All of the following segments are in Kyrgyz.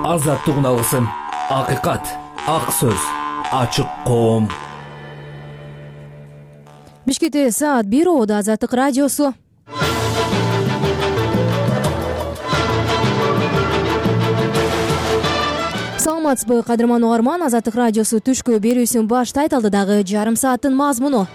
Азаттыгын алгысың. Акыйкат, ак сөз, ачык коом. Бишкекте саат 1 Оодо Азаттык радиосу. Саламатсызбы, кадырман угарман. Азаттык радиосу түшкө берүүсүн баштайт. Алдыдагы жарым сааттын мазмуну.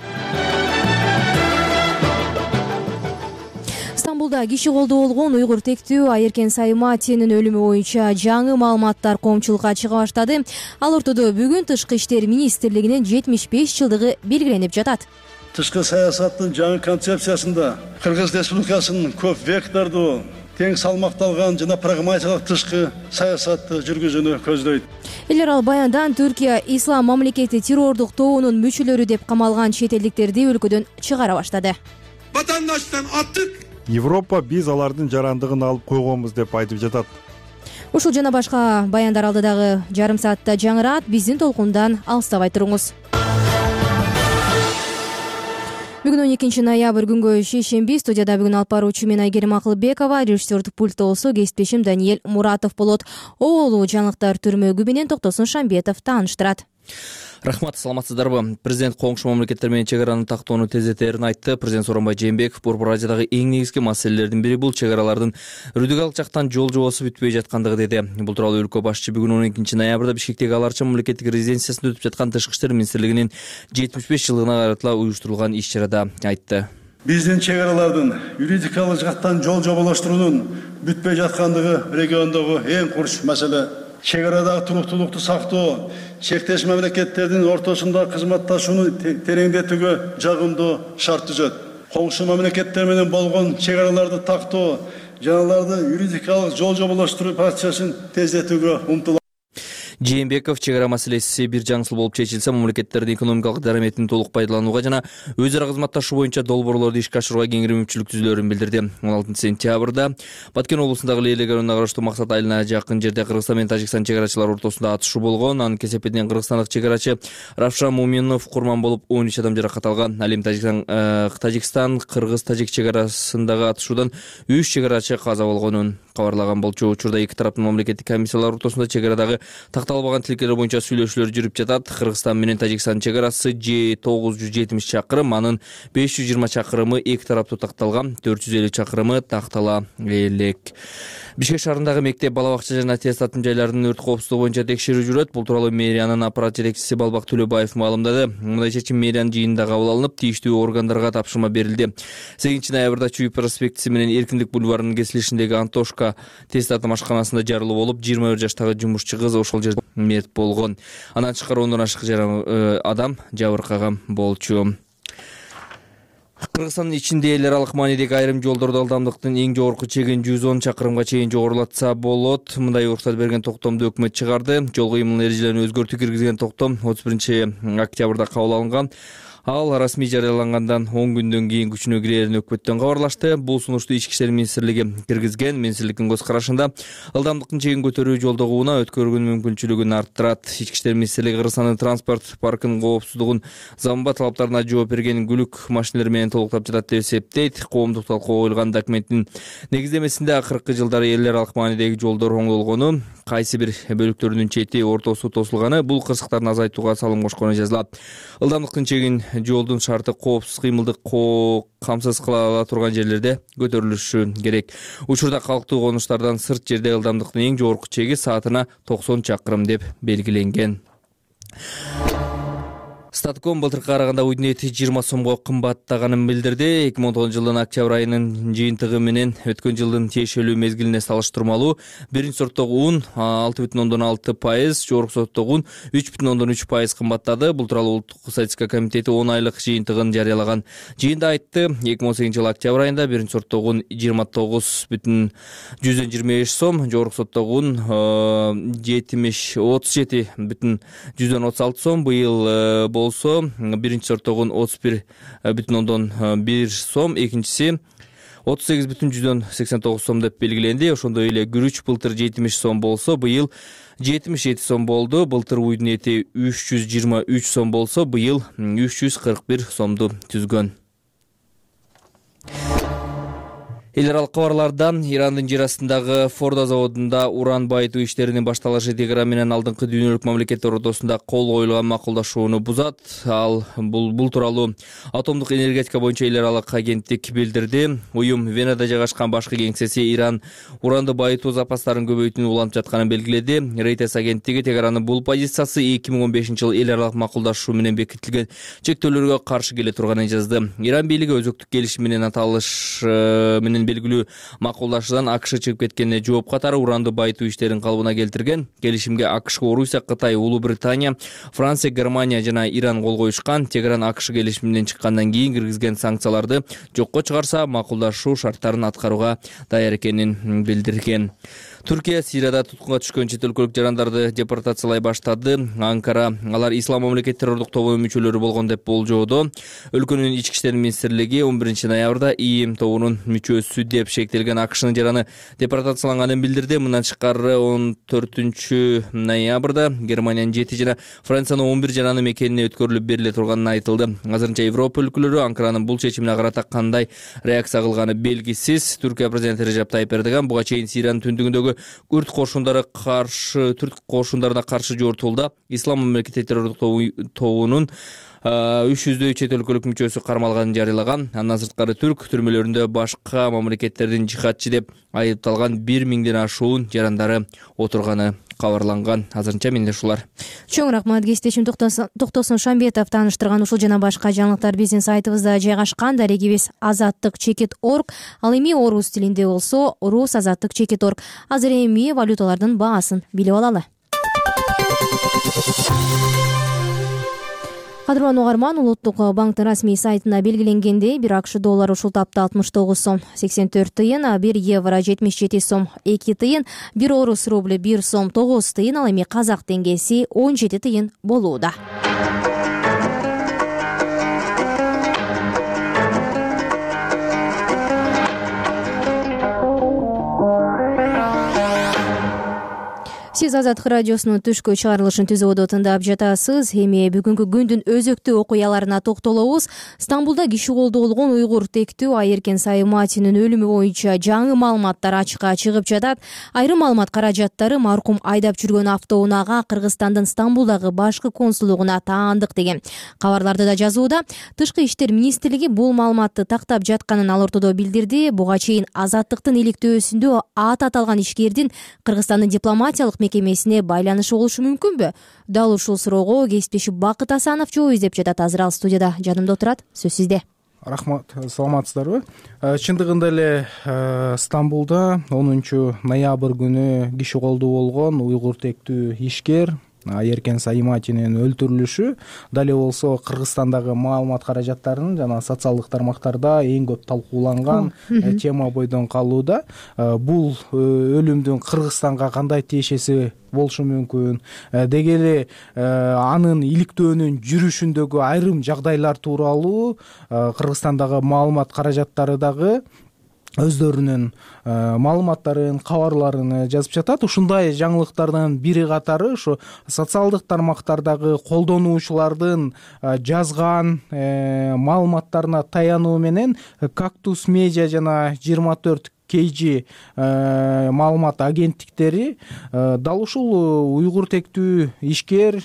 Стамбулда киши колдоо болгон уйгур тектүү Айеркен Сайматинин өлүмү боюнча жаңы маалыматтар коомчулукка чыга баштады. Ал ортодо бүгүн Тышкы иштер министрлигинин 75 жылдыгы белгиленип жатат. Тышкы саясаттын жаңы концепциясында Кыргыз Республикасынын көп вектордуу, тең салмакталган жана прагматикалык тышкы саясатты жүргүзүүнү көздөйт. Эл аралык баяндан Түркия ислам мамлекети террордук тобунун мүчөлөрү деп камалган чет элдиктерди өлкөдөн чыгара баштады. Vatandaştan attık. Европа биз алардын жарандыгын алып койгонбуз деп айтып жатат. Ушул жана башка баяндар алдыдагы жарым саатта жаңырат. Биздин толкундан алыстабай туруңуз. Бүгүн 12 ноябрь күнгө шейшемби. Студияда бүгүн алып баруучу мен Айгерим Акылбекова, режиссердик пультта болсо кесиптешим Даниэль Муратов болот. Оолу жаңылыктар түрмөгү менен Токтосун Шамбетов тааныштырат. Рахмат, саламатсыздарбы? Президент коңшу мамлекеттер менен чек араны тактоону тездетерин айтты. Президент Сооронбай Жээнбеков Борбор Азиядагы эң негизги маселелердин бири бул чек аралардын юридикалык жактан жол жобосу бүтпөй жаткандыгы деди. Бул тууралуу өлкө башчы бүгүн 12 ноябрда Бишкектеги Ал Арча мамлекеттик резиденциясында өтүп жаткан Тышкы иштер министрлигинин 75 жылдыгына каратыла уюштурулган иш-чарада айтты. Биздин чек аралардын юридикалык жактан жол жоболоштуруунун бүтпөй жаткандыгы региондогу эң курч маселе. Чек арадагы туруктуулукту сактоо, чектеш мамлекеттердин ортосунда кызматташууну тереңдетүүгө жагымдуу шарт түзөт. Коңшу мамлекеттер менен болгон чек араларды тактоо жана аларды юридикалык жол жоболоштуруу процессин тездетүүгө умтулат. Жээнбеков чек ара маселеси бир жаңсыл болуп чечилсе, мамлекеттердин экономикалык дараметин толук пайдаланууга жана өз ара кызматташуу боюнча долбоорлорду ишке ашырууга кеңири мүмкүнчүлүк түзүлөрүн билдирди. 16 сентябрда Баткен облусундагы Лейлек районуна караштуу Максат айылына жакын жерде Кыргызстан менен Тажикстан чек арачылары ортосунда атышуу болгон. Анын кесепетинен кыргызстандык чек арачы Равшан Муминов курман болуп, 13 адам жаракат алган. Ал эми Тажикстан Кыргыз-Тажик чек арасындагы атышуудан 3 чек арачы каза болгонун кабарлаган болчу. Учурда эки тараптын мамлекеттик комиссиялар ортосунда чек арадагы такталбаган тилкелер боюнча сүйлөшүүлөр жүрүп жатат. Кыргызстан менен Тажикстан чек арасы 970 чакырым, анын 520 чакырымы эки тараптуу такталган, 450 чакырымы тактала элек. Бишкек шаарындагы мектеп, бала бакча жана аттестаттын жайларынын өрт коопсуздугу боюнча текшерүү жүрөт. Бул тууралуу мэриянын аппарат жетекчиси Балбак Төлөбаев маалымдады. Мындай чечим мэриянын жыйынында кабыл алынып, тийиштүү органдарга тапшырма берилди. 8 ноябрда Чүй проспектиси менен Эркиндик бульварынын кесилишиндеги Антошка тестаттын ашканасында жарылуу болуп, 21 жаштагы жумушчу кыз ошол жерде мерт болгон. Андан тышкары 10 ашык адам жабыркаган болчу. Кыргызстандын ичинде эл аралык маанидеги айрым жолдордо ылдамдыктын эң жогорку чегин 110 чакырымга чейин жогорулатса болот. Мындай уруксат берген токтомду өкмөт чыгарды. Жол кыймыл эрежелерин өзгөртүү киргизген токтом 31 октябрда кабыл алынган. Ал расмий жарыялангандан 10 күндөн кийин күчүнө кирерин өкмөттөн кабарлашты. Бул сунушту Ички иштер министрлиги киргизген. Министрликтин көз карашында ылдамдыктын чегин көтөрүү жолдогу унаа өткөргөн мүмкүнчүлүгүн арттырат. Ички иштер министрлиги Кыргызстандын транспорт паркынын коопсуздугун заманба талаптарына жооп берген күлүк машинелер менен толуктап жатат деп эсептейт. Коомдук талкууга коюлган документтин негиздемесинде акыркы жылдары эл аралык маанидеги жолдор оңдолгону, кайсы бир бөлүктөрүнүн чети ортосу тосулганы бул кырсыктарын азайтууга салым кошкону жазылат. Ылдамдыктын чегин жолдун шарты коопсуз кыймылды камсыз кыла ала турган жерлерде көтөрүлүшү керек. Учурда калктуу конуштардан сырт жерде ылдамдыктын эң жогорку чеги саатына 90 чакырым деп белгиленген. Статком былтыркыга караганда уйдун эти 20 сомго кымбаттаганын билдирди. 2010 жылдын октябрь айынын жыйынтыгы менен өткөн жылдын тиешелүү мезгилине салыштырмалуу биринчи сорттогу un 6,6%, жогорку сорттогу un 3,3% кымбаттады. Бул тууралуу Улуттук статистика комитети 10 айлык жыйынтыгын жарыялаган. Жыйында айтты, 2018 жылы октябрь айында биринчи сорттогу un 29,25 сом, жогорку сорттогу un 37,36 сом, быйыл болсо биринчи сорттогу 31,1 сом, экинчиси 38,89 сом деп белгиленди. Ошондой эле күрүч былтыр 70 сом болсо, быйыл 77 сом болду. Былтыр уйдун эти 323 сом болсо, быйыл 341 сомду түзгөн. Эл аралык кабарлардан Ирандын жер астындагы Фордо заводунда уран байытуу иштеринин башталышы Тегеран менен алдыңкы дүйнөлүк мамлекеттер ортосунда кол коюлган макулдашууну бузат. Бул тууралуу атомдук энергетика боюнча эл аралык агенттик билдирди. Уюм Венада жайгашкан башкы кеңсеси Иран уранды байытуу запастарын көбөйтүүнү улантып жатканын белгиледи. Reuters агенттиги Тегеранын бул позициясы 2015-жылы эл аралык макулдашуу менен бекитилген чектөөлөргө каршы келе турганын жазды. Иран бийлиги өзөктүк келишим менен аталыш менен белгилүү макулдашуудан АКШ чыгып кеткенине жооп катары уранды байытуу иштерин калыбына келтирген. Келишимге АКШ, Орусия, Кытай, Улуу Британия, Франция, Германия жана Иран кол коюшкан. Тегеран АКШ келишиминен чыккандан кийин киргизген санкцияларды жокко чыгарса, макулдашуу шарттарын аткарууга даяр экенин билдирген. Түркия Сирияда туткунга түшкөн чет өлкөлүк жарандарды депортациялай баштады. Анкара алар ислам мамлекет террордук тобунун мүчөлөрү болгон деп болжоодо. Өлкөнүн ички иштер министрлиги 11-ноябрда ИИМ тобунун мүчөсү деп шектелген АКШнын жараны депортацияланганын билдирди. Мындан тышкары 14-ноябрда Германиянын 7 жана Франциянын 11 жараны мекенине өткөрүлүп бериле турганын айтылды. Азырынча Европа өлкөлөрү Анкаранын бул чечимине карата кандай реакция кылганы белгисиз. Түркия президенти Режеп Тайип Эрдоган буга чейин Сириянын түндүгүндөгү Күрд түрк кошундарына каршы жортулда ислам мамлекети террордук тобунун 300 чет өлкөлүк мүчөсү кармалганын жарыялаган. Андан сырткары түрк түрмөлөрүндө башка мамлекеттердин жихадчы деп айыпталган 1000ден ашуун жарандары отурганы кабарланган. Азырынча менде ушулар. Чоң рахмат кесиптешим Токтосун Шамбетов тааныштырган ушул жана башка жаңылыктар биздин сайтыбызда жайгашкан. Дарегибиз azattik.org. Ал эми орус тилинде болсо rusazattik.org. Азыр эми валюталардын баасын билип алалы. Кадырлуу угарман, Улуттук банктын расмий сайтында белгиленгендей, бир АКШ доллары ушул тапта 69 сом 84 тыйын, 1 евро 77 сом 2 тыйын, 1 орус рубль 1 сом 9 тыйын, ал эми казак теңгеси 17 тыйын болууда. Сиз Азаттык радиосунун түшкү чыгарылышын түзүүдө тыңдап жатасыз. Эми бүгүнкү күндүн өзөктүү окуяларына токтолобуз. Стамбулда киши колдо болгон уйгур тектүү Айеркен Сайматинин өлүмү боюнча жаңы маалыматтар ачыкка чыгып жатат. Айрым маалымат каражаттары маркум айдап жүргөн автоунаага Кыргызстандын Стамбулдагы башкы консулдугуна таандык деген. Кабарларда да жазууда. Тышкы иштер министрлиги бул маалыматты тактап жатканын ал ортодо билдирди. Буга чейин Азаттыктын иликтөөсүндө аты аталган ишкердин Кыргызстандын дипломатиялык мекемесине байланышы болушу мүмкүнбү? Дал ушул суроого кесиптешим Бакыт Асанов жооп издеп жатат. Азыр ал студияда жанымда отурат. Сөз сизде. Рахмат, саламатсыздарбы? Чындыгында эле Стамбулда 10-ноябрь күнү киши колдо болгон уйгур тектүү ишкер Айеркен Сайматинин өлтүрүлүшү дале болсо Кыргызстандагы маалымат каражаттарынын жана социалдык тармактарда эң көп талкууланган тема бойдон калууда. Бул өлүмдүн Кыргызстанга кандай тиешеси болушу мүмкүн, деги эле анын иликтөөнүн жүрүшүндөгү айрым жагдайлар тууралуу Кыргызстандагы маалымат каражаттары дагы өздөрүнүн маалыматтарын, кабарларын жазып жатат. Ушундай жаңылыктардын бири катары ушу социалдык тармактардагы колдонуучулардын жазган маалыматтарына таянуу менен Кактус Медиа жана 24 KG маалымат агенттиктери дал ушул уйгур тектүү ишкер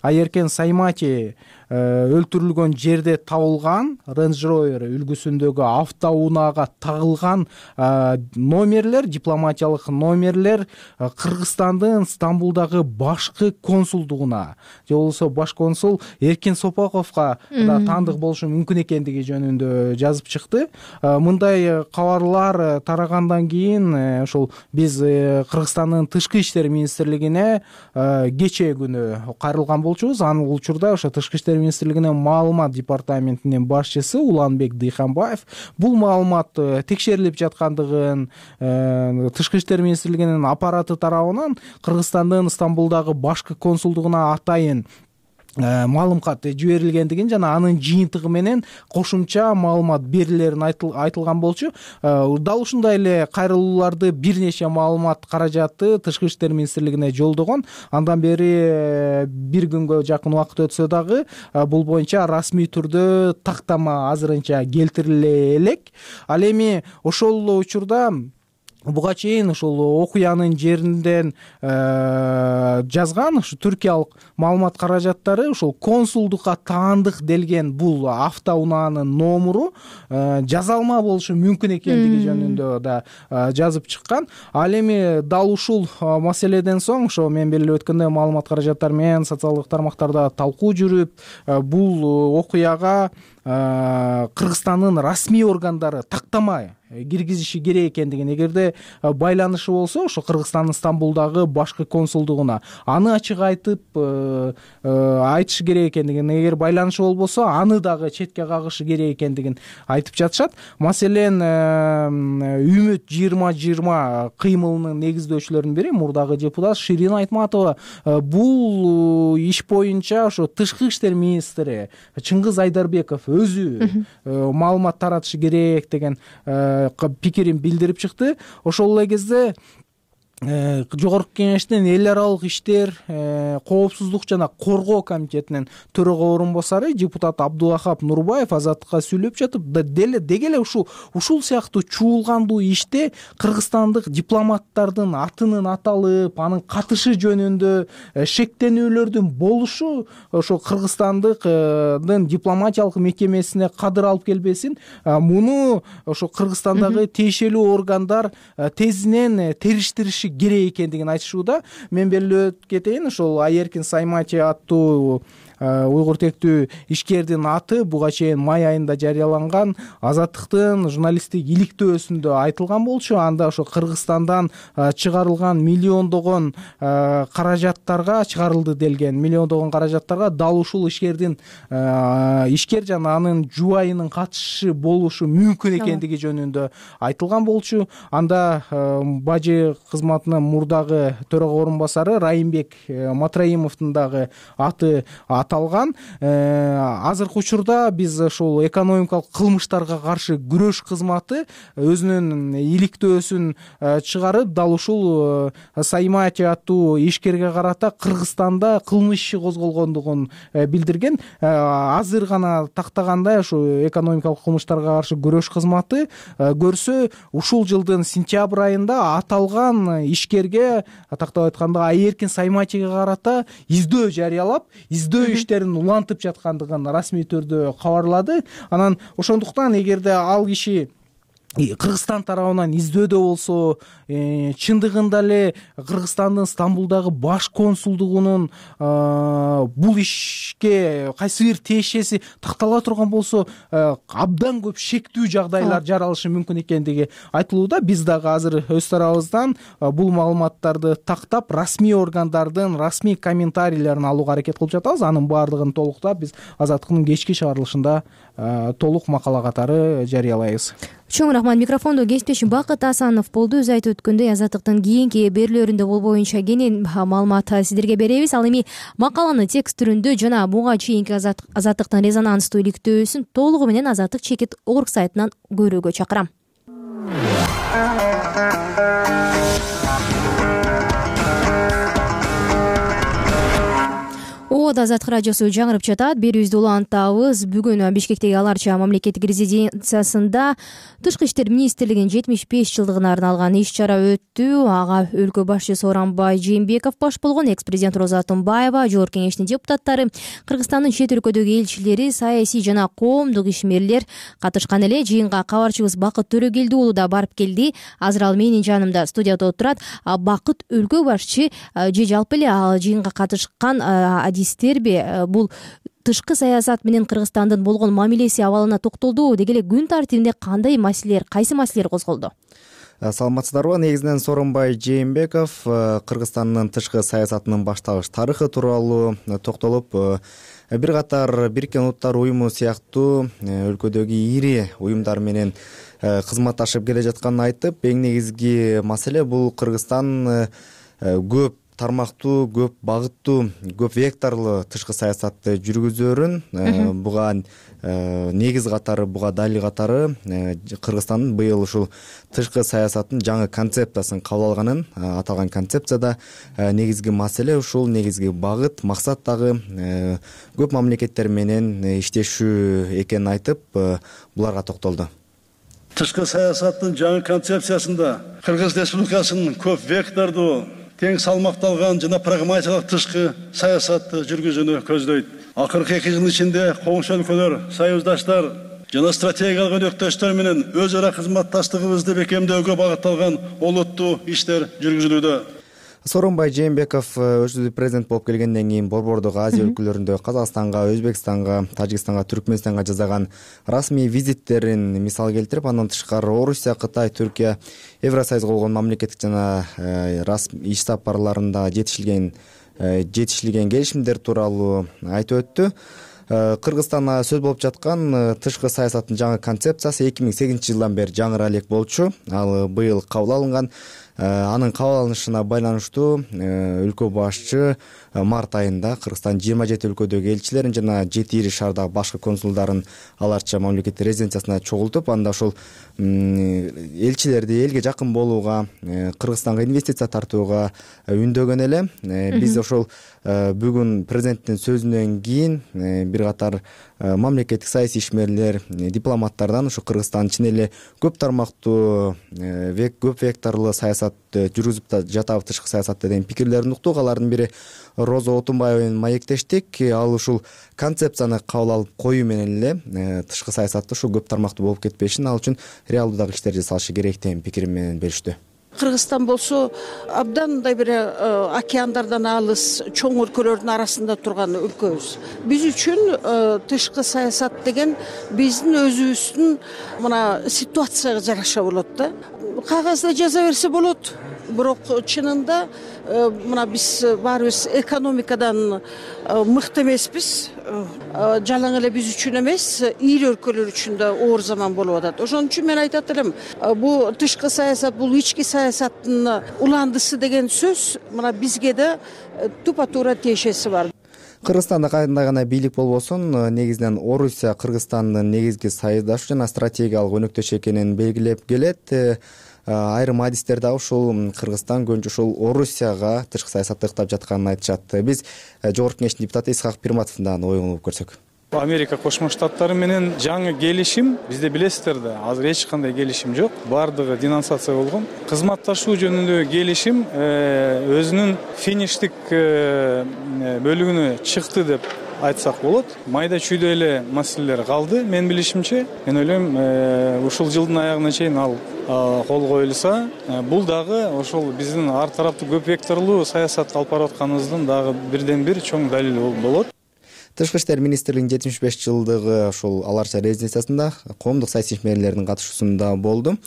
Айеркен Саймати өлтүрүлгөн жерде табылган Range Rover үлгүсүндөгү автоунаага тагылган номерлер, дипломатиялык номерлер Кыргызстандын Стамбулдагы башкы консулдугуна же болбосо баш консул Эркин Сопаковго да таандык болушу мүмкүн экендиги жөнүндө жазып чыкты. Мындай кабарлар тарагандан кийин ошол биз Кыргызстандын тышкы иштер министрлигине кечээ күнү кайрылган болчубуз. Анын учурда ошо тышкы иштер министрлигинин маалымат департаментинин башчысы Уланбек Дыйханбаев бул маалымат текшерилип жаткандыгын, тышкы иштер министрлигинин аппараты тарабынан Кыргызстандын Стамбулдагы башкы консулдугуна атайын маалым кат жиберилгендигин жана анын жыйынтыгы менен кошумча маалымат берилерин айтылган болчу. Дал ушундай эле кайрылууларды бир нече маалымат каражаты Тышкы иштер министрлигине жолдогон. Андан бери бир күнгө жакын убакыт өтсө дагы бул боюнча расмий түрдө тактама азырынча келтириле элек. Ал эми ошол учурда буга чейин ушул окуянын жеринден жазган ушу түркиялык маалымат каражаттары ушул консулдукка таандык делген бул автоунаанын номуру жазалма болушу мүмкүн экендиги жөнүндө да жазып чыккан. Ал эми дал ушул маселеден соң ошо мен белгилеп өткөндөй маалымат каражаттары менен социалдык тармактарда талкуу жүрүп, бул окуяга Кыргызстандын расмий органдары тактама киргизиши керек экендигин, эгерде байланышы болсо ошо Кыргызстандын Стамбулдагы башкы консулдугуна аны ачык айтып айтышы керек экендигин, эгер байланышы болбосо аны дагы четке кагышы керек экендигин айтып жатышат. Маселен Үмүт 2020 кыймылынын негиздөөчүлөрүнүн бири мурдагы депутат Ширин Айтматова бул иш боюнча ошо Тышкы иштер министри Чыңгыз Айдарбеков өзү маалымат таратышы керек деген пикирин билдирип чыкты. Ошол эле кезде Жогорку Кеңештин эл аралык иштер, коопсуздук жана коргоо комитетинин төрага орун басары депутат Абдулахап Нурбаев Азаттыкка сүйлөп жатып, деги эле ушул сыяктуу чуулгандуу иште кыргызстандык дипломаттардын атынын аталып, анын катышы жөнүндө шектенүүлөрдүн болушу ошо Кыргызстандын дипломатиялык мекемесине кадыр алып келбесин, муну ошо Кыргызстандагы тиешелүү органдар тезинен териштириши керек экендигин айтышууда. Мен белгилеп кетейин, ошол Айеркин Саймати аттуу уйгур тектүү ишкердин аты буга чейин май айында жарыяланган Азаттыктын журналисттик иликтөөсүндө айтылган болчу. Анда ошо Кыргызстандан чыгарылган миллиондогон каражаттарга чыгарылды делген, миллиондогон каражаттарга дал ушул ишкер жана анын жубайынын катышы болушу мүмкүн экендиги жөнүндө айтылган болчу. Анда бажы кызматынын мурдагы төрага орун басары Райымбек Матраимовдун дагы аты аталган. Азыркы учурда биз ошол экономикалык кылмыштарга каршы күрөш кызматы өзүнүн иликтөөсүн чыгарып, дал ушул Саймати аттуу ишкерге карата Кыргызстанда кылмыш иши козголгондугун билдирген. Азыр гана тактагандай ошо экономикалык кылмыштарга каршы күрөш кызматы көрсө, ушул жылдын сентябрь айында аталган ишкерге, тактап айтканда Айеркин Сайматиге карата издөө жарыялап, издөө иштерин улантып жаткандыгын расмий түрдө кабарлады. Анан ошондуктан эгерде ал киши Кыргызстан тарабынан издөөдө болсо, чындыгында эле Кыргызстандын Стамбулдагы баш консулдугунун бул ишке кайсы бир тиешеси тактала турган болсо, абдан көп шектүү жагдайлар жаралышы мүмкүн экендиги айтылууда. Биз дагы азыр өз тарабыбыздан бул маалыматтарды тактап, расмий органдардын расмий комментарийлерин алууга аракет кылып жатабыз. Анын баардыгын толуктап биз Азаттыктын кечки чыгарылышында толук макала катары жарыялайбыз. Чоң рахмат. Микрофондо кесиптешим Бакыт Асанов болду. Өз айтып өткөндөй, Азаттыктын кийинки берүүлөрүндө бул боюнча кенен маалымат сиздерге беребиз. Ал эми макаланы текст түрүндө жана буга чейинки Азаттыктын резонанстуу иликтөөсүн толугу менен Азаттык чекит орг сайтынан көрүүгө чакырам. Азаттык радиосу жаңырып жатат. Берүүбүздү улантабыз. Бүгүн Бишкектеги Аларча мамлекеттик резиденциясында Тышкы иштер министрлигинин 75 жылдыгына арналган иш-чара өттү. Ага өлкө башчысы Сооронбай Жээнбеков баш болгон, экс-президент Роза Атымбаева, Жогорку Кеңештин депутаттары, Кыргызстандын чет өлкөдөгү элчилери, саясий жана коомдук ишмерлер катышкан эле. Жыйынга кабарчыбыз Бакыт Төрөгелди уулу да барып келди. Азыр ал менин жанымда студияда отурат. Бакыт, өлкө башчы же жалпы эле жыйынга катышкан адистерби бул тышкы саясат менен Кыргызстандын болгон мамилеси абалына токтолду. Деги эле күн тартибинде кандай маселелер, кайсы маселелер козголду? Саламатсыздарбы? Негизинен Сооронбай Жээнбеков Кыргызстандын тышкы саясатынын башталыш тарыхы тууралуу токтолуп, бир катар Бириккен Улуттар уюму сыяктуу өлкөдөгү ири уюмдар менен кызматташып келе жатканын айтып, эң негизги маселе бул Кыргызстан көп тармактуу, көп багыттуу, көп векторлуу тышкы саясатты жүргүзөөрүн буга негиз катары, буга далил катары Кыргызстандын быйыл ушул тышкы саясаттын жаңы концепциясын кабыл алганын, аталган концепцияда негизги маселе ушул, негизги багыт, максат дагы көп мамлекеттер менен иштешүү экенин айтып, буларга токтолду. Тышкы саясаттын жаңы концепциясында Кыргыз Республикасынын көп вектордуу, тең салмакталган жана прагматикалык тышкы саясатты жүргүзүүнү көздөйт. Акыркы 2 жыл ичинде коңшу өлкөлөр, союздаштар жана стратегиялык өнөктөштөр менен өз ара кызматташтыгыбызды бекемдөөгө багытталган олуттуу иштер жүргүзүлүүдө. Сооронбай Жээнбеков өзү президент болуп келгенден кийин Борбордук Азия өлкөлөрүндө Казакстанга, Өзбекстанга, Тажикстанга, Түркмөнстанга жасаган расмий визиттерин мисал келтирип, андан тышкары Орусия, Кытай, Түркия, Евросоюзга болгон мамлекеттик жана иш сапарларында жетишилген келишимдер тууралуу айтып өттү. Кыргызстанда сөз болуп жаткан тышкы саясаттын жаңы концепциясы 2008 жылдан бери жаңыра элек болчу. Ал быйыл кабыл алынган. Анын кабыл алынышына байланыштуу өлкө башчы март айында Кыргызстандын 27 өлкөдөгү элчилерин жана 7 ири шаардагы башкы консулдарын аларча мамлекеттик резиденциясына чогултуп, анда ошол элчилерди элге жакын болууга, Кыргызстанга инвестиция тартууга үндөгөн эле. Биз ошол бүгүн президенттин сөзүнөн кийин бир катар мамлекеттик саясий ишмерлер, дипломаттардан ушу Кыргызстан чын эле көп тармактуу, көп векторлуу саясат жүргүзүп жатабы тышкы саясатта деген пикирлерин уктук. Алардын бири Роза Отунбаева менен маектештик. Ал ушул концепцияны кабыл алып коюу менен эле тышкы саясатта ушул көп тармактуу болуп кетпешин, ал үчүн реалдуу дагы иштер жасалышы керек деген пикир менен бериштү. Кыргызстан болсо абдан мындай бир океандардан алыс, чоң өлкөлөрдүн арасында турган өлкөбүз. Биз үчүн тышкы саясат деген биздин өзүбүздүн мына ситуацияга жараша болот да. Кагазда жаза берсе болот, бирок чынында мына биз баарыбыз экономикадан мыкты эмеспиз. Жалаң эле биз үчүн эмес, ири өлкөлөр үчүн да оор заман болуп атат. Ошон үчүн мен айтат элем, бул тышкы саясат, бул ички саясаттын уландысы деген сөз мына бизге да тупа-туура тиешеси бар. Кыргызстанда кандай гана бийлик болбосун, негизинен Орусия Кыргызстандын негизги союздашы жана стратегиялык өнөктөш экенин белгилеп келет. Айрым адистер дагы ушул Кыргызстан көбүнчө ушул Орусияга тышкы саясатты ыктап жатканын айтышат. Биз Жогорку Кеңештин депутаты Исхак Пирматовдун оюн угуп көрсөк. Америка Кошмо Штаттары менен жаңы келишим, бизде билесиздер да, азыр эч кандай келишим жок. Бардыгы денонсация болгон. Кызматташуу жөнүндөгү келишим өзүнүн фиништик бөлүгүнө чыкты деп айтсак болот. Майда чүйдө эле маселелер калды, мен билишимче. Мен ойлойм, ушул жылдын аягына чейин ал кол коюлса, бул дагы ошол биздин ар тараптуу көп векторлуу саясат алып барып атканыбыздын дагы бирден бир чоң далили болот. Тышкы иштер министрлигинин 75 жылдыгы ошол аларча резиденциясында коомдук саясий ишмерлердин катышуусунда болду.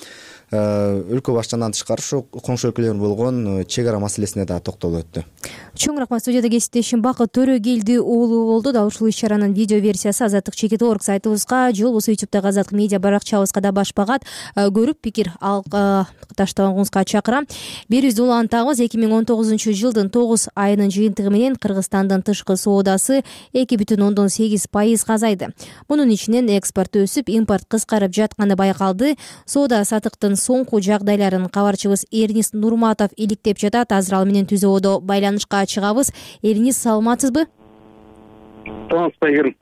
Өлкө башчысынан тышкары ушу коңшу өлкөлөр болгон чек ара маселесине да токтолуп өттү. Чоң рахмат. Студияда кесиптешим Бакыт Төрөгелди уулу болду. Дал ушул иш-чаранын видео версиясы Азаттык Чекит.org сайтыбызга же болбосо YouTube'дагы Азаттык медиа баракчабызга да баш багат. Көрүп пикир таштагыңызга чакырам. Берибизди улантабыз. 2019 жылдын 9 айынын жыйынтыгы менен Кыргызстандын тышкы соодасы 2,8% азайды. Мунун ичинен экспорт өсүп, импорт кыскарып жатканы байкалды. Соода сатыктын соңку жагдайларын кабарчыбыз Эрнис Нурматов иликтеп жатат. Азыр ал менен түзөөдө байланышка чыгабыз. Эрнис, саламатсызбы? Саламатсызбы.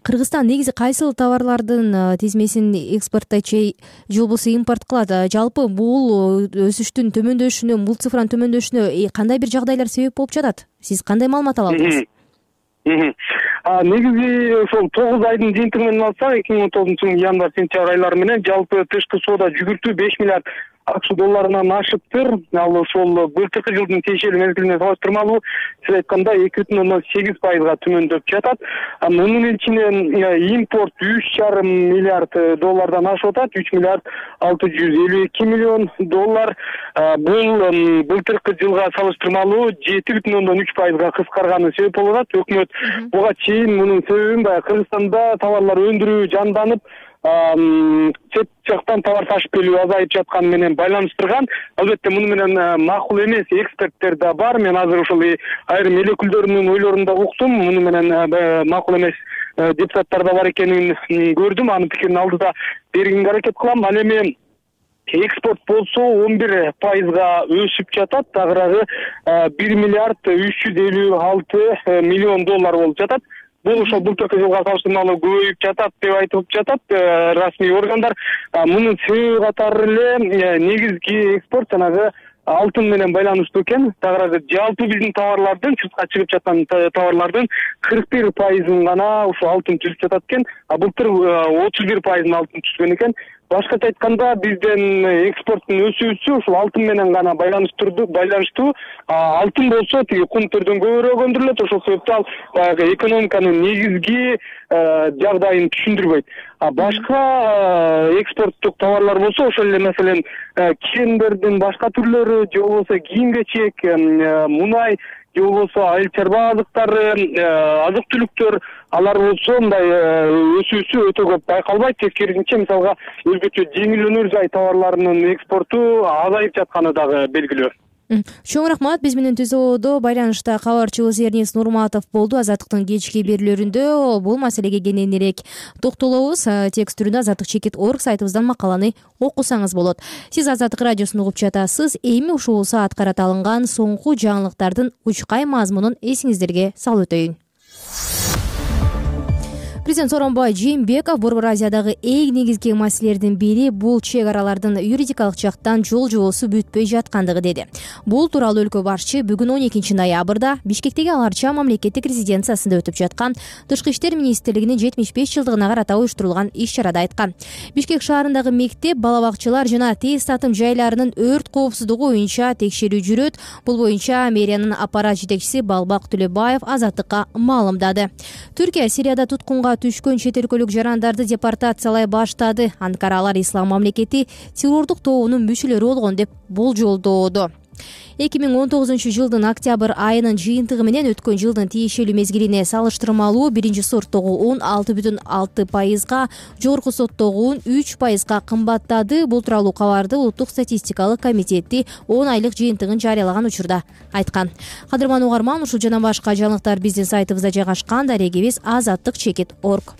Кыргызстан негизи кайсыл товарлардын тизмесин экспорттойт же болбосо импорт кылат? Жалпы бул өсүштүн төмөндөшүнө, бул цифранын төмөндөшүнө кандай бир жагдайлар себеп болуп жатат? Сиз кандай маалымат ала аласыз? Негизи ошол 9 айдын жыйынтыгы менен алсак, 2019 январь-сентябрь айлары менен жалпы тышкы соода жүгүртүү 5 миллиард АКШ долларынан ашыптыр. Ал ошол былтыркы жылдын тиешелүү мезгилине салыштырмалуу сиз айткандай 2,8%га төмөндөп жатат. Мунун ичинен импорт 3,5 миллиард доллардан ашып атат, 3 миллиард 652 миллион доллар. Бул былтыркы жылга салыштырмалуу 7,3%га кыскарганы себеп болуп атат. Өкмөт буга чейин мунун себебин Кыргызстанда товарлар өндүрүү жанданып, чет жактан товар ташып келүү азайып жатканы менен байланыштырган. Албетте муну менен макул эмес эксперттер да бар. Мен азыр ошол айрым эл өкүлдөрүнүн ойлорун да уктум. Муну менен макул эмес депутаттар да бар экенин көрдүм. Анын пикирин алдыда бергенге аракет кылам. Ал эми экспорт болсо 11% өсүп жатат. Тагыраагы 1 миллиард 356 миллион доллар болуп жатат. Бул ошол былтыркы жылга салыштырмалуу көбөйүп жатат деп айтылып жатат расмий органдар. Мунун себеби катары эле негизги экспорт жанагы алтын менен байланыштуу экен. Тагыраагы жалпы биздин товарлардын, сыртка чыгып жаткан товарлардын 41% гана ушул алтын түзүп жатат экен. Былтыр 31% алтын түзгөн экен. Башкача айтканда биздин экспорттун өсүүсү ушул алтын менен гана байланыштуу. Алтын болсо тиги кум төрдөн көбүрөөк өндүрүлөт. Ошол себептен ал экономиканын негизги жагдайын түшүндүрбөйт. Башка экспорттук товарлар болсо ошол эле маселен киемдердин башка түрлөрү, же болбосо кийим-кечек, мунай, же болбосо айыл чарба азыктары, азык-түлүктөр, алар болсо мындай өсүүсү өтө көп байкалбайт. Тескерисинче мисалга өзгөчө жеңил өнөр жай товарларынын экспорту азайып жатканы дагы белгилүү. Чоң рахмат. Биз менен түзүүдө байланышта кабарчыбыз Эрнис Нурматов болду. Азаттыктын кечки берүүлөрүндө бул маселеге кененирээк токтолобуз. Текст түрүндө azattik.org сайтыбыздан макаланы окусаңыз болот. Сиз Азаттык радиосун угуп жатасыз. Эми ушул саат карата алынган соңку жаңылыктардын учкай мазмунун эсиңиздерге салып өтөйүн. Президент Сооронбай Жээнбеков Борбор Азиядагы эң негизги маселелердин бири бул чек аралардын юридикалык жактан жол жобосу бүтпөй жаткандыгы деди. Бул тууралуу өлкө башчы бүгүн 12 ноябрда Бишкектеги Аларча мамлекеттик резиденциясында өтүп жаткан Тышкы иштер министрлигинин 75 жылдыгына карата уюштурулган иш-чарада айткан. Бишкек шаарындагы мектеп, бала бакчалар жана тез татым жайларынын өрт коопсуздугу боюнча текшерүү жүрөт. Бул боюнча мэриянын аппарат жетекчиси Балбак Төлөбаев Азаттыкка маалымдады. Түркия Сирияда туткунга түшкөн чет өлкөлүк жарандарды депортациялай баштады. Анкара алар Ислам мамлекети террордук тобунун мүчөлөрү болгон деп болжолдоодо. 2019 жылдын октябрь айынын жыйынтыгы менен өткөн жылдын тиешелүү мезгилине салыштырмалуу биринчи сорттогу un 6,6%, жогорку соттогу un 3% кымбаттады. Бул тууралуу кабарды Улуттук статистикалык комитети 10 айлык жыйынтыгын жарыялаган учурда айткан. Кадырман угарман, ушул жана башка жаңылыктар биздин сайтыбызда жайгашкан. Дарегибиз azattik.org.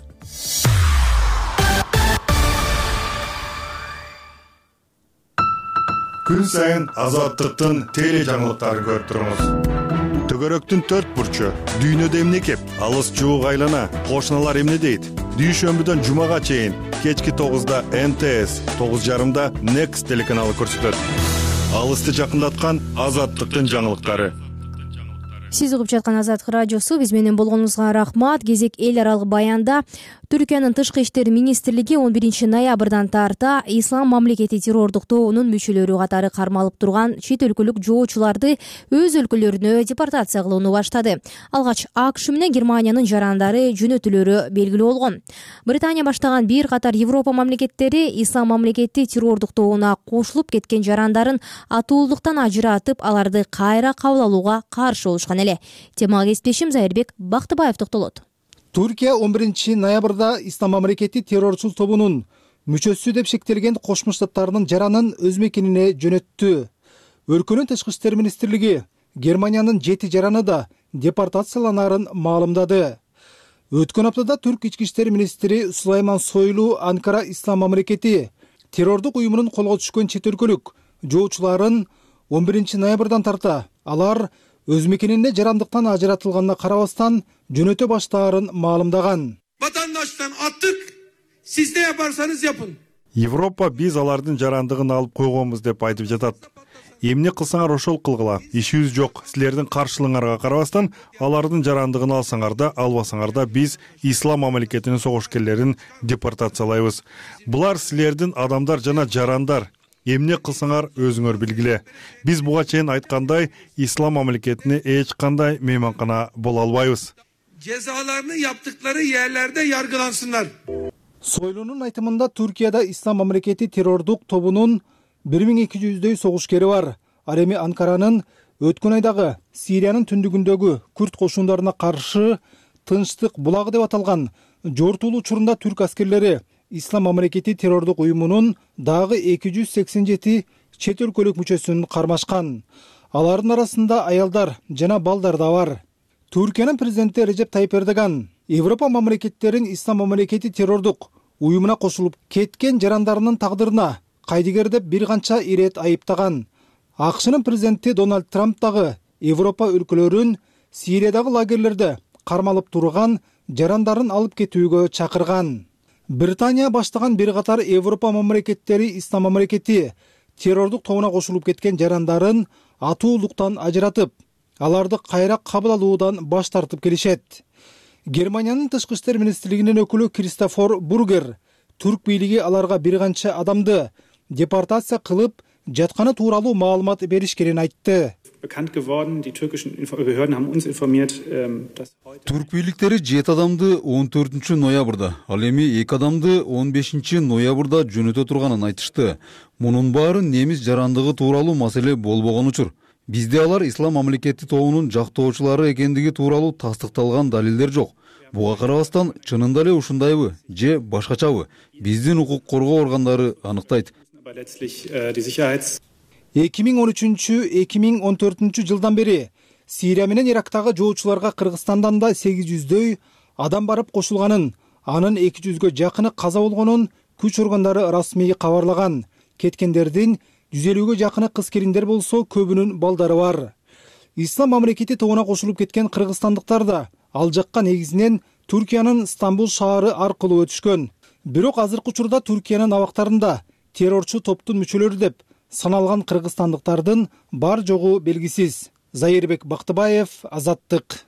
Күн сайын Азаттыктын теле жаңылыктарын көрүп туруңуз. Төгөрөктүн 4 бурчу, дүйнөдө эмне кеп, алыс жуук айлана, кошуналар эмне дейт? Дүйшөмбүдөн жумага чейин кечки 9-да НТС, 9:30-да Next телеканалы көрсөтөт. Алысты жакындаткан Азаттыктын жаңылыктары. Сиз угуп жаткан Азаттык радиосу. Биз менен болгонуңузга рахмат. Кезек эл аралык баянда Түркиянын тышкы иштер министрлиги 11 ноябрдан тарта Ислам мамлекети террордук тобунун мүчөлөрү катары кармалып турган чет өлкөлүк жоочуларды өз өлкөлөрүнө депортация кылууну баштады. Алгач АКШ менен Германиянын жарандары жөнөтүлөрү белгилүү болгон. Британия баштаган бир катар Европа мамлекеттери Ислам мамлекети террордук тобуна кошулуп кеткен жарандарын атуулуктан ажыратып, аларды кайра кабыл алууга каршы болушкан эле. Темага кесиптешим Зайырбек Бактыбаев токтолот. Түркия 11 ноябрда Ислам мамлекети террорчул тобунун мүчөсү деп шектелген Кошмо Штаттарынын жаранын өз мекенине жөнөттү. Өлкөнүн тышкы иштер министрлиги Германиянын 7 жараны да депортацияланарын маалымдады. Өткөн аптада Түрк ички иштер министри Сулайман Сойлу Анкара Ислам мамлекети террордук уюмунун колго түшкөн чет өлкөлүк жоочуларын 11 ноябрдан тарта алар өз мекенине жарандыктан ажыратылганына карабастан жөнөтө баштаарын маалымдаган. Vatandaştan attık, siz ne yaparsanız yapın. Европа биз алардын жарандыгын алып койгонбуз деп айтып жатат. Эмне кылсаңар ошол кылгыла. Ишибиз жок. Силердин каршылыгыңарга карабастан алардын жарандыгын алсаңар да, албасаңар да биз Ислам мамлекетинин согушкерлерин депортациялайбыз. Булар силердин адамдар жана жарандар. Эмне кылсаңар өзүңөр билгиле. Биз буга чейин айткандай, Ислам мамлекетине эч кандай мейманкана боло албайбыз. Cezalarını yaptıkları yerlerde yargılansınlar. Сойлунун айтымында Түркияда Ислам мамлекети террордук тобунун 1200дөй согушкери бар. Ал эми Анкаранын өткөн айдагы Сириянын түндүгүндөгү күрд кошундарына каршы Тынчтык булагы деп аталган жортуул учурунда түрк аскерлери Ислам мамлекети террордук уюмунун дагы 287 чет өлкөлүк мүчөсүн кармашкан. Алардын арасында аялдар жана балдар да бар. Түркиянын президенти Режеп Тайип Эрдоган Европа мамлекеттерин Ислам мамлекети террордук уюмуна кошулуп кеткен жарандарынын тагдырына кайдыгер деп бир канча ирет айыптаган. АКШнын президенти Дональд Трамп дагы Европа өлкөлөрүн Сириядагы лагерлерде кармалып турган жарандарын алып кетүүгө чакырган. Британия баштаган бир катар Европа мамлекеттери Ислам мамлекети террордук тобуна кошулуп кеткен жарандарын атуулуктан ажыратып, аларды кайра кабыл алуудан баш тартып келишет. Германиянын тышкы иштер министрлигинин өкүлү Кристофер Бургер түрк бийлиги аларга бир канча адамды депортация кылып жатканы тууралуу маалымат беришкенин айтты. Түрк бийликтери 7 адамды 14 ноябрда, ал эми 2 адамды 15 ноябрда жөнөтө турганын айтышты. Мунун баары немис жарандыгы тууралуу маселе болбогон учур. Бизде алар Ислам мамлекети тобунун жактоочулары экендиги тууралуу тастыкталган далилдер жок. Буга карабастан чынында эле ушундайбы же башкачабы биздин укук коргоо органдары аныктайт. 2013-2014 жылдан бери Сирия менен Ирактагы жоочуларга Кыргызстандан да 800дөй адам барып кошулганын, анын 200гө жакыны каза болгонун күч органдары расмий кабарлаган. Кеткендердин 150гө жакыны кыз-келиндер болсо, көбүнүн балдары бар. Ислам мамлекети тобуна кошулуп кеткен кыргызстандыктар да ал жакка негизинен Түркиянын Стамбул шаары аркылуу өтүшкөн. Бирок азыркы учурда Түркиянын абактарында террорчу топтун мүчөлөрү деп саналган кыргызстандыктардын бар жогу белгисиз. Зайырбек Бактыбаев, Азаттык.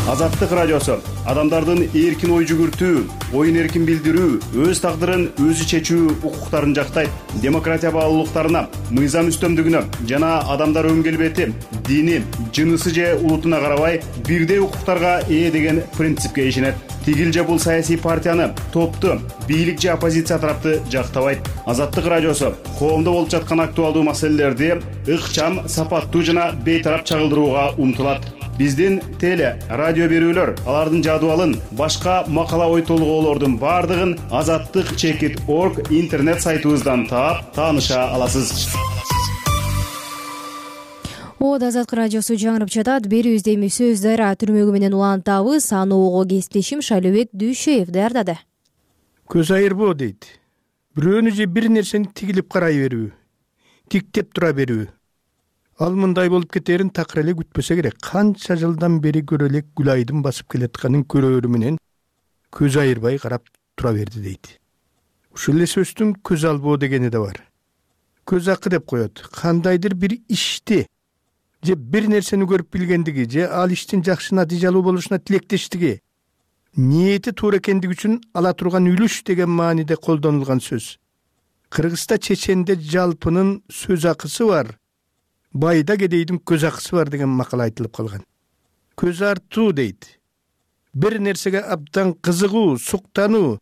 Азаттык радиосу адамдардын эркин ой жүгүртүү, оюн эркин билдирүү, өз тагдырын өзү чечүү укуктарын жактайт. Демократия баалуулуктарына, мыйзам үстөмдүгүнө жана адамдар өң келбети, дини, жынысы же улутуна карабай бирдей укуктарга ээ деген принципке ишенет. Тигил же бул саясий партияны, топту, бийлик же оппозиция тарапты жактабайт. Азаттык радиосу коомдо болуп жаткан актуалдуу маселелерди ыкчам, сапаттуу жана бейтарап чагылдырууга умтулат. Биздин теле, радио берүүлөр, алардын жадыбалын, башка макала ой толгоолордун бардыгын azattik.org интернет сайтыбыздан таап, тааныша аласыз. Азаттык радиосу жаңырып жатат. Берүүбүздө эми сөз дайра түрмөгү менен улантабыз. Аны ого кесиптешим Шайлообек Дүйшөев даярдады. Көз айырбоо дейт. Бирөөнү же бир нерсени тигилип карай берүү, тиктеп тура берүү. Ал мындай болуп кетерин такыр эле күтпөсө керек. Канча жылдан бери көрө элек Гүлайдын басып келатканын көрөөрү менен көз айырбай карап тура берди дейт. Ушул эле сөздүн көз албоо дегени да бар. Көз акы деп коет. Кандайдыр бир ишти же бир нерсени көрүп билгендиги же ал иштин жакшы натыйжалуу болушуна тилектештиги, ниети туура экендиги үчүн ала турган үлүш деген мааниде колдонулган сөз. Кыргызда чеченде жалпынын сөз акысы бар, байда кедейдин көз акысы бар деген макал айтылып калган. Көз артуу дейт. Бир нерсеге абдан кызыгуу, суктануу,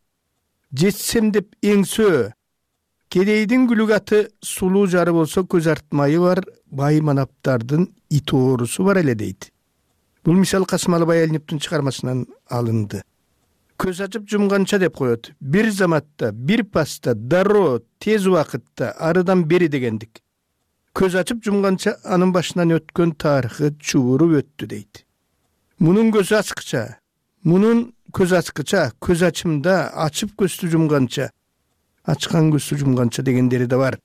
жетсем деп эңсөө. Кедейдин күлүк аты сулуу жары болсо көз артмайы бар, бай манаптардын ит оорусу бар эле дейт. Бул мисал Касым Алыбай Элниптин чыгармасынан алынды. Көз ачып жумганча деп коет. Бир заматта, бир паста, дароо, тез убакытта, арыдан бери дегендик. Көз ачып жумганча анын башынан өткөн тарыхы чубуруп өттү дейт. Мунун көзү ачкыча, мунун көз ачкыча, көз ачымда ачып көздү жумганча, ачкан көздү жумганча дегендери да бар.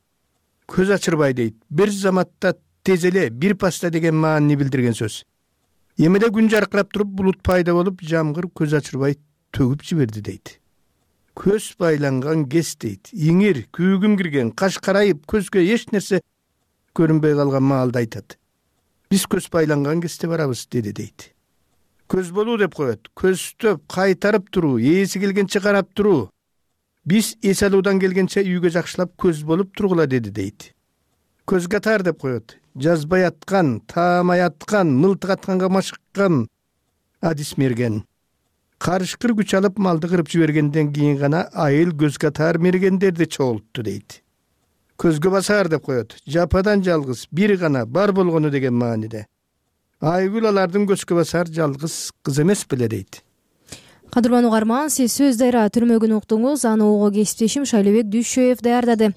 Көз ачырбай дейт. Бир заматта тез эле, бир паста деген маанини билдирген сөз. Эмеде күн жаркырап туруп булут пайда болуп, жамгыр көз ачырбай төгүп жиберди дейт. Көз байланган кез дейт. Иңир, күүгүм кирген, каш карайып, көзгө эч нерсе көрүнбөй калган маалда айтат. Биз көз байланган кезде барабыз деди дейт. Көз болуу деп коет. Көзтөп, кайтарып туруу, ээси келгенче карап туруу. Биз эс алуудан келгенче үйгө жакшылап көз болуп тургула деди дейт. Көз катар деп коет. Жазбай аткан, таамай аткан, мылтык атканга машыккан адис мерген. Карышкыр күч алып малды кырып жибергенден кийин гана айыл көз катар мергендерди чогултту дейт. Көзгө басар деп коет. Жападан жалгыз, бир гана бар болгону деген мааниде. Айгүл алардын көзгө басар жалгыз кыз эмес беле дейт. Кадырман угарман, сиз сөз дайра түрмөгүн уктуңуз. Аны ого кесиптешим Шайлебек Дүйшөев даярдады.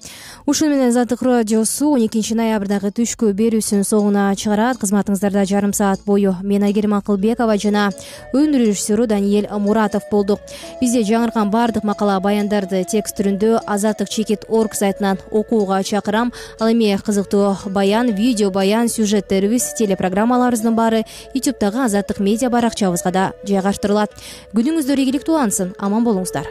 Ушуну менен Азаттык радиосу 12 ноябрдагы түшкү берүүсүн соңуна чыгарат. Кызматыңыздарда жарым саат бою мен Айгерим Акылбекова жана өнүр режиссеру Даниэль Муратов болдук. Бизде жаңыркан баардык макала баяндарды текст түрүндө azattik.org сайтынан окууга чакырам. Ал эми кызыктуу баян, видео баян, сюжеттерибиз, телепрограммаларыбыздын баары YouTube'дагы Азаттык медиа баракчабызга да жайгаштырылат. Күнүңүздөр ийгиликтүү улансын, аман болуңуздар.